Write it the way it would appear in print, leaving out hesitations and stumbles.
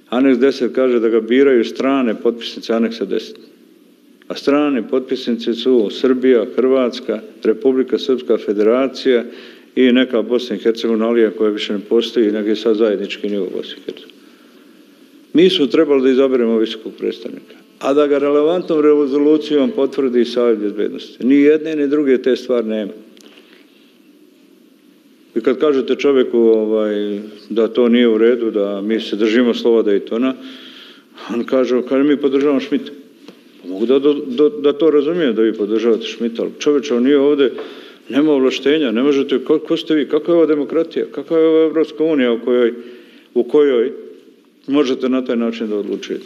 Aneks 10 kaže da ga biraju strane potpisnice aneksa 10. A strane potpisnice su Srbija, Hrvatska, Republika Srpska Federacija i neka Bosna i Hercegovina koja više ne postoji i neki sad zajednički nivo Bosne i Hercegovine. Mi smo trebali da izaberemo visokog predstavnika, a da ga relevantnom rezolucijom potvrdi Savjet bezbednosti. Ni jedne ni druge te stvari nema. I kad kažete čovjeku da to nije u redu, da mi se držimo slova Daytona, on kaže mi podržavamo Šmita. Mogu da to razumijem da vi podržavate Šmita, ali čovječe, on nije ovdje, nema ovlaštenja, ne možete, ko ste vi, kakva je ova demokratija, kakva je ova Evropska unija u kojoj možete na taj način da odlučujete.